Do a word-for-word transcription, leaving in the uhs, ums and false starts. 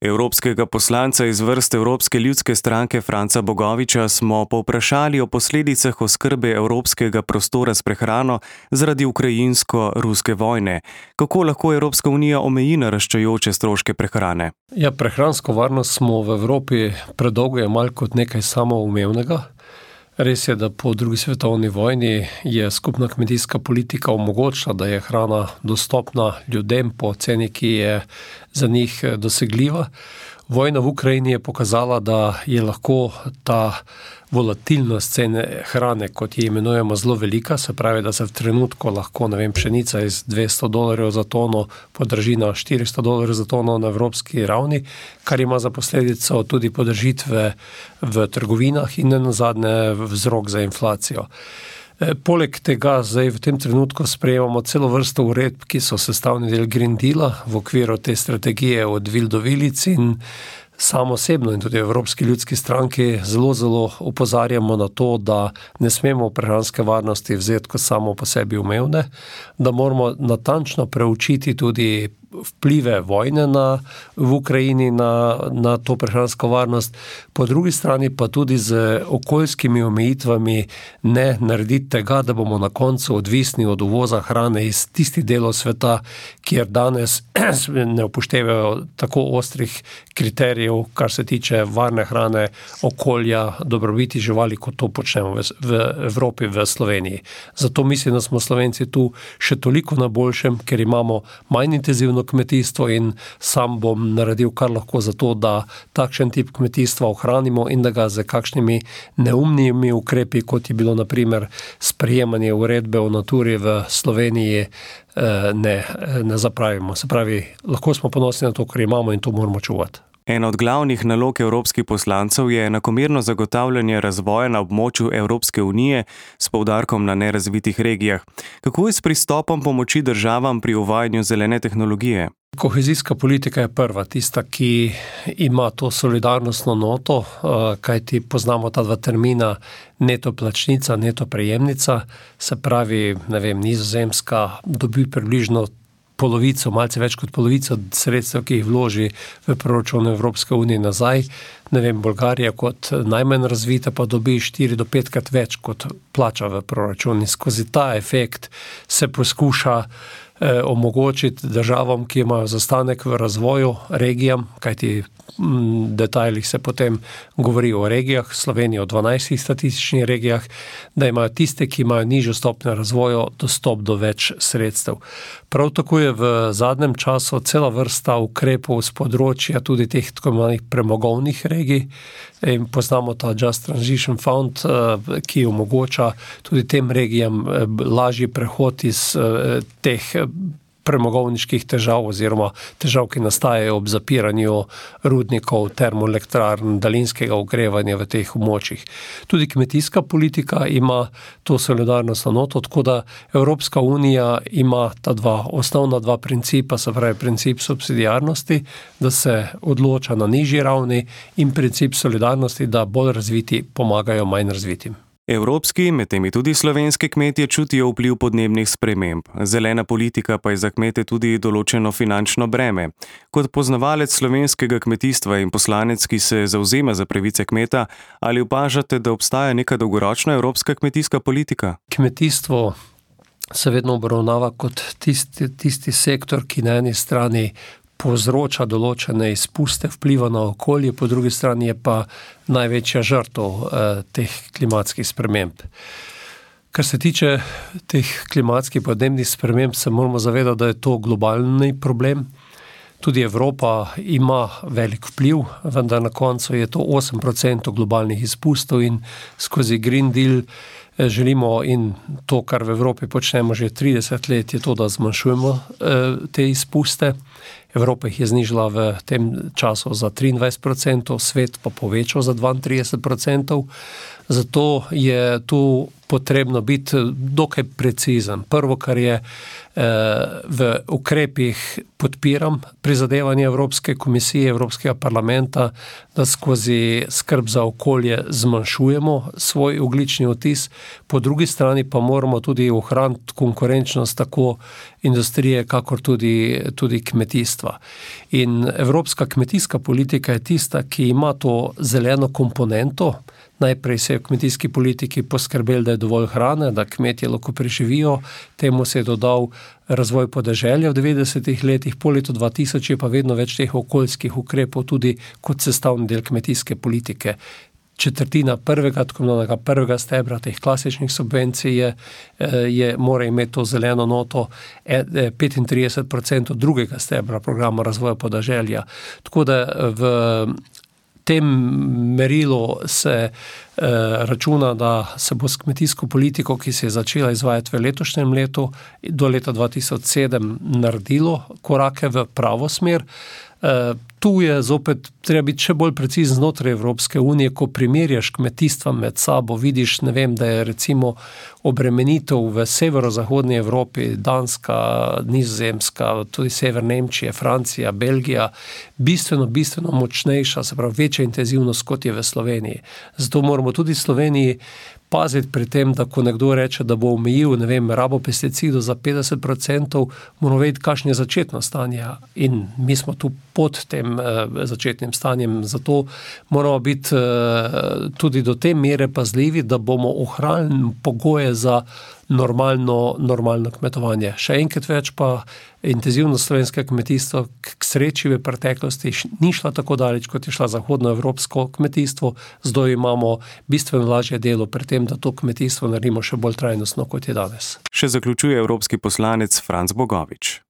Evropskega poslanca iz vrst Evropske ljudske stranke Franca Bogoviča smo povprašali o posledicah oskrbe evropskega prostora s prehrano zaradi ukrajinsko-ruske vojne. Kako lahko Evropska unija omeji naraščajoče stroške prehrane? Ja, prehransko varnost smo v Evropi predolgo jemali kot nekaj samoumevnega. Res je, da po drugi svetovni vojni je skupna kmetijska politika omogočila, da je hrana dostopna ljudem po ceni, ki je za njih dosegljiva. Vojna v Ukrajini je pokazala, da je lahko ta volatilnost cene hrane, kot je imenujemo, zelo velika, se pravi, da se v trenutku lahko, ne vem, pšenica iz dvesto dolarjev za tono podraži na štiristo dolarjev za tono na evropski ravni, kar ima za posledico tudi podražitve v trgovinah in nenazadnje vzrok za inflacijo. Poleg tega zdaj v tem trenutku sprejemamo celo vrsto uredb, ki so sestavni del Green Deala v okviru te strategije od vil do vilic, in sam osebno in tudi v Evropski ljudski stranki zelo, zelo opozarjamo na to, da ne smemo prehranske varnosti vzeti kot samo po sebi umevne, da moramo natančno preučiti tudi vplive vojne na, v Ukrajini na, na to prehransko varnost, po drugi strani pa tudi z okoljskimi omejitvami ne narediti tega, da bomo na koncu odvisni od uvoza hrane iz tistih delov sveta, kjer danes ne upoštevajo tako ostrih kriterijev, kar se tiče varne hrane, okolja, dobrobiti živali, kot to počnemo v, v Evropi, v Sloveniji. Zato mislim, da smo Slovenci tu še toliko na boljšem, ker imamo manj intenzivno kmetijstvo, in sam bom naredil kar lahko za to, da takšen tip kmetijstva ohranimo in da ga z kakšnimi neumnimi ukrepi, kot je bilo na primer sprejemanje uredbe o naturi v Sloveniji, ne, ne zapravimo. Se pravi, lahko smo ponosni na to, kar imamo, in to moramo čuvati. Ena od glavnih nalog evropskih poslancev je enakomerno zagotavljanje razvoja na območju Evropske unije s poudarkom na nerazvitih regijah. Kako je s pristopom pomoči državam pri uvajanju zelene tehnologije? Kohezijska politika je prva, tista, ki ima to solidarnostno noto, kajti poznamo ta dva termina neto plačnica, neto prejemnica, se pravi, ne vem, Nizozemska dobi približno polovico, malce več kot polovico sredstev, ki jih vloži v proračun Evropske unije nazaj. Ne vem, Bolgarija kot najmanj razvita pa dobi štiri do petkrat več, kot plača v proračun. In skozi ta efekt se poskuša eh, omogočiti državam, ki imajo zastanek v razvoju, regijam, kajti v detajlih se potem govori o regijah, Slovenija o dvanajstih statističnih regijah, da imajo tiste, ki imajo nižjo stopnjo razvoja, dostop do več sredstev. Prav tako je v zadnjem času cela vrsta ukrepov z področja tudi teh tako imenovanih premogovnih regij. In poznamo ta Just Transition Fund, ki omogoča tudi tem regijam lažji prehod iz teh premogovniških težav oziroma težav, ki nastajajo ob zapiranju rudnikov, termoelektrarn, daljinskega ogrevanja v teh območjih. Tudi kmetijska politika ima to solidarnostno noto, tako da Evropska unija ima ta dva osnovna dva principa, se pravi princip subsidiarnosti, da se odloča na nižji ravni, in princip solidarnosti, da bolj razviti pomagajo manj razvitim. Evropski, med temi tudi slovenski kmetje čutijo vpliv podnebnih sprememb. Zelena politika pa je za kmete tudi določeno finančno breme. Kot poznavalec slovenskega kmetijstva in poslanec, ki se zavzema za pravice kmeta, ali opažate, da obstaja neka dolgoročna evropska kmetijska politika? Kmetijstvo se vedno obravnava kot tisti, tisti sektor, ki na eni strani povzroča določene izpuste, vpliva na okolje, po drugi strani je pa največja žrtev eh, teh klimatskih sprememb. Kar se tiče teh klimatskih podnebnih sprememb, se moramo zavedati, da je to globalni problem. Tudi Evropa ima velik vpliv, vendar na koncu je to osem procentov globalnih izpustov, in skozi Green Deal želimo, in to, kar v Evropi počnemo že trideset let, je to, da zmanjšujemo eh, te izpuste. Evropa jih je znižala v tem času za triindvajset procentov, svet pa povečal za dvaintrideset procentov. Zato je tu potrebno biti dokaj precizen. Prvo, kar je v ukrepih podpiram prizadevanje Evropske komisije, Evropskega parlamenta, da skozi skrb za okolje zmanjšujemo svoj ogljični odtis, po drugi strani pa moramo tudi ohraniti konkurenčnost tako industrije, kakor tudi, tudi kmetijstva. In evropska kmetijska politika je tista, ki ima to zeleno komponento. Najprej se je v kmetijski politiki poskrbeli, da je dovolj hrane, da kmetje lahko preživijo. Temu se je dodal razvoj podeželja v devetdesetih letih, po letu dva tisoč je pa vedno več teh okoljskih ukrepov tudi kot sestavni del kmetijske politike. Četrtina prvega, tako imenovanega prvega stebra teh klasičnih subvencij je, je, mora imeti to zeleno noto, petintrideset procentov drugega stebra programa razvoja podeželja. Tako da v tem merilu se eh, računa, da se bo s kmetijsko politiko, ki se je začela izvajati v letošnjem letu, do leta dva tisoč sedem naredilo korake v pravo smer. Uh, tu je zopet treba biti še bolj precizen znotraj Evropske unije, ko primerjaš kmetijstva med sabo, vidiš, ne vem, da je recimo obremenitev v severozahodni Evropi, Danska, Nizozemska, tudi sever Nemčije, Francija, Belgija, bistveno, bistveno močnejša, se pravi večja intenzivnost, kot je v Sloveniji. Zato moramo tudi v Sloveniji paziti pri tem, da ko nekdo reče, da bo omejil, ne vem, rabo pesticidov za petdeset procentov, moramo vedeti, kakšno je začetno stanje. In mi smo tu pod tem eh, začetnim stanjem, zato moramo biti eh, tudi do te mere pazljivi, da bomo ohranili pogoje za normalno, normalno kmetovanje. Še enkrat več pa intenzivnost slovenskega kmetijstva k sreči v preteklosti ni šla tako daleč, kot je šla zahodnoevropsko kmetijstvo. Zdaj imamo bistveno lažje delo pri tem, da to kmetijstvo naredimo še bolj trajnostno, kot je danes. Še zaključuje evropski poslanec Franc Bogovič.